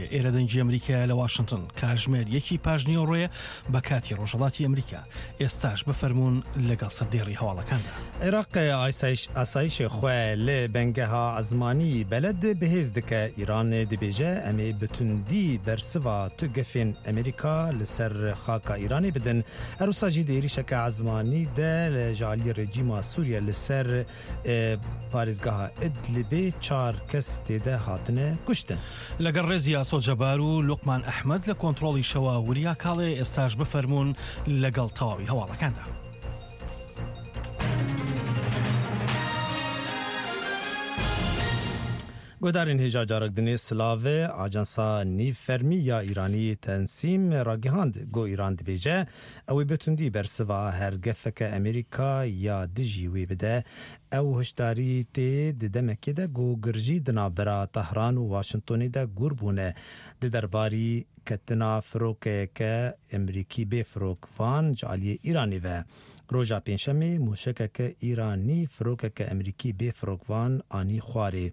هەبێ. ئێرە دەنگی ئەمریکایە لە واشنتن. کاژمێر یەکی پاش نیوەڕۆیە بە کاتی ڕۆژهەڵاتی ئەمریکا. ئێستاش بفەرموون لەگەڵ سەردێڕی هەواڵەکاندا. عێراق ئاسایشê xwe li bengeha ezmanî Beled bihêz dike. Îran dibêje em ê bi tundî bersiva tu gefên Amerîka li ser xaka Îranê bidin. Her wisa jî di êrîşeke ezmanî de ji aliyê rejîma Sûriye li ser Parêzgeha Idlibê çar kes têde hatine kuştin. لەگەڵ ڕێزی ئاسۆ جەبار و لوقمان ئەحمەد لە کۆنتڕۆڵی شەوە وریا کاڵێ ئێستاش بفەرموون لەگەڵ تەواوی هەواڵەکاندا. Guhdarên hêja carek dinê silavê ajansa nîvfermî ya Îranî Tensîm ragihand ku Îran dibêje ew ê bi tundî bersiva her gefeke Amerîka ya dijî wê bide. Ew hişdarî tê di demekê de ku girjî di navbera Tehran û Washingtonê de gûr bûne di derbarî ketina firokeyeke Amerîkî bê firokvan ji aliyê Îranê ve. Roja pêncşemê mûşekeke Îranî firokeke Amerîkî bê firokvan anî xwarê.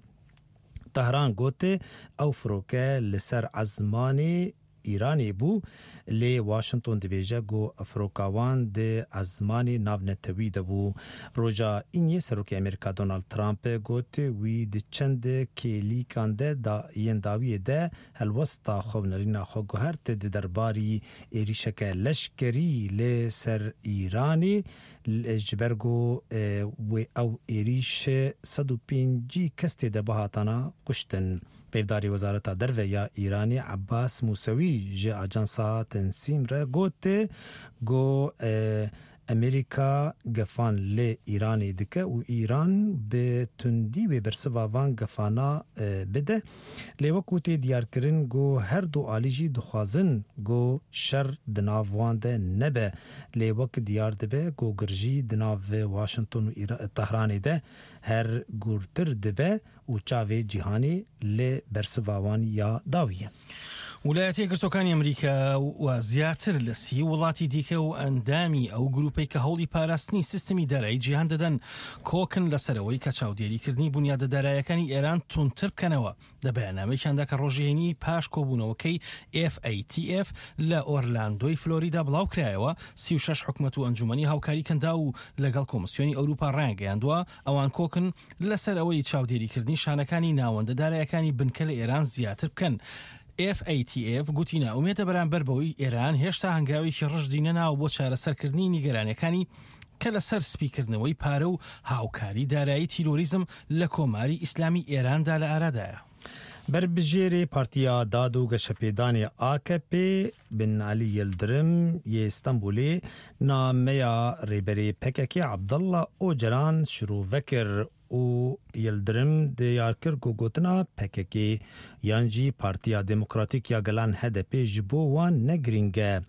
Tehran got ew firoke li ser ezmanê Îranê bû lê Washington dibêje ku firoka wan di ezmanê navnetewî de bû. Roja Îniyê Serokê Amerîka Donald Trump got wî di çend kêlîkan de yên dawiyê de helwesta xwe û nerîna xwe guhert di derbarî êrîşeke leşkerî li ser Îranê Ji ber ku wê ew êrîş 150 kes tê de bihatana kuştin. Peyvdarê Wezareta Derve ya Îranê Ebas Mûsewî ji ajansa Tensîm re got ku Amerîka gefan li Îranê dike û Îran bi tundî wê bersiva van gefana bide. Lê wekû tê diyarkirin ku her du alî jî dixwazin ku şer di nav wan de nebe. Lê wek diyar dibe ku girjî di nav Washington û Tehranê de her gûrtir dibe û çavê cîhanê li bersiva wan ya dawî ye. ویلایەتە یەکگرتووەکانی ئەمریکا و زیاتر لە سی وڵاتی دیکە و ئەندامی ئەو گروپەی کە هەوڵی پاراستنی سیستمی دارایی جیهان دەدەن کۆکن لەسەر ئەوەی کە چاودێریکردنی بونیادە دارایەکانی ئێران توندتر بکەنەوە. لە بەیاننامەیەکیاندا کە ڕۆژی هەینی پاش کۆبوونەوەکەی FATF لە ئۆرلاندۆی فلۆریدا بڵاوکرایەوە، 36 حکومەت و ئەنجومەنی هاوکاری کەنداو و لەگەڵ کۆمسیۆنی ئەوروپا ڕایانگەیاندووە ئەوان کۆکن لەسەر ئەوەی چاودێریکردنی شانەکانی ناوەندە دارایەکانی بنکە لە ئێران زیاتر بکەن. FATF گوتی نائومێدە بەرامبەر بەوەی ئێران هێشتا هەنگاوێکی ڕژدی نەناوە بۆ چارەسەرکردنی نیگەرانیەکانی کە لەسەر سپیکردنەوەی پارە و هاوکاری دارایی تیرۆریزم لە کۆماری ئیسلامی ئێراندا لە ئارادایە. Berbijêrê Partiya Dad û Geşepêdanê AKP Binali Yildirim yê Stenbolê nameya Rêberê pkk Abdullah Ocalan şirove kir û Yildirim diyar kir ku gotina pkk yan jî Partiya Demokratîk ya Gelan hdp ji bo wan ne girîng e.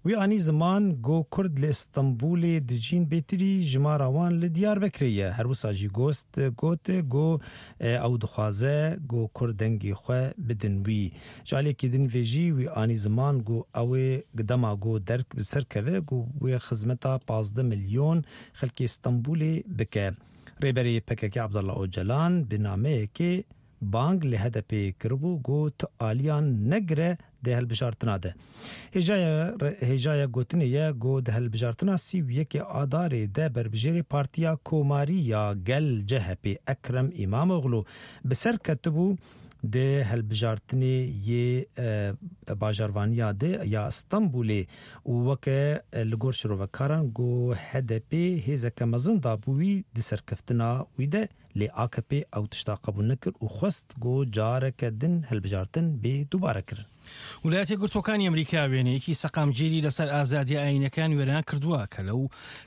Wî anî ziman ku Kurd li Stenbolê dijîn bêtirî jimara wan li Diyarbekirê ye. Her wisa jî got ku Ew dixwaze ku Kurd dengê xwe bidin wî. Ji aliyekî din vê jî wî anî ziman ku ew ê dema ku derk bi ser keve ku wê xizmeta 15 milyon xelkê Stenbolê bike. Rêberê pkk Abdullah Ocalan bi nameyekê bang li HDP'ê kiribû ku tu aliyan negire Di hilbijartina de hêjaya gotinê ye ku di hilbijartina 31 Adarê de berbijêrê Partiya Komarî ya Gel CHP Ekrem Îmamoglû bi ser ketibû di hilbijartinê yê bajarvaniya de ya Stenbolê û weke li gor şirovekaran ku HDP hêzeke mezin dabû wî di serkeftina wî de Lê AKP'ê ew tişta qebûl nekir û xwest ku careke din hilbijartin bê dûbarekirin. ویلایەتە یەکگرتووەکانی ئەمریکا وێنەیەکی سەقامگیری لەسەر ئازادیە ئایینەکان وێران کردووە کە لەو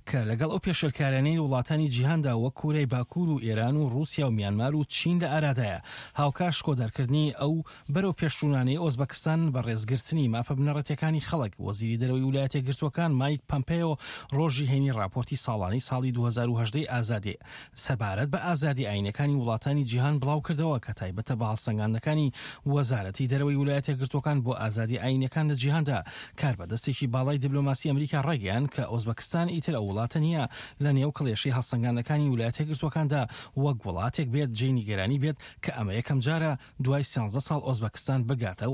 کە لەگەڵ ئەو پێشێلکاریانەی لە وڵاتانی جیهاندا وەک کۆریای باکوور و ئێران و ڕووسیا و میانمار و چین لە ئارادایە هاوکات شکۆدارکردنی ئەو بەرەو پێشچوونانەی ئۆزبەکستان بە ڕێزگرتنی مافە بنەڕەتیەکانی خەڵک، وەزیری دەرەوەی ویلایەتە یەکگرتووەکان مایک پەمپێۆ ڕۆژی هەینی ڕاپۆرتی ساڵانەی ساڵی 2018 ی ئازادی سەبارەت بە ئازادی ئایینەکانی وڵاتانی جیهان بڵاوکردەوە کە تایبەتە بە هەڵسەنگاندنەکانی وەزارەتی دەرەوەی ویلایەتە یەکگرتووەکان بۆ ئازادی ئایینەکان لە جیهاندا. کاربەدەستێکی باڵای دیبلۆماسی ئەمریکا ڕایگەیاند کە ئۆزبەکستان ئیتر ئەو وڵاتە نییە لە نێو کڵێشەی هەڵسەنگاندنەکانی ویلایەتە یەکگرتووەکاندا وەک وڵاتێک بێت جێی نیگەرانی بێت کە ئەمە یەکەمجارە دوای سیانزە ساڵ ئۆزبەکستان بگاتە ئەو.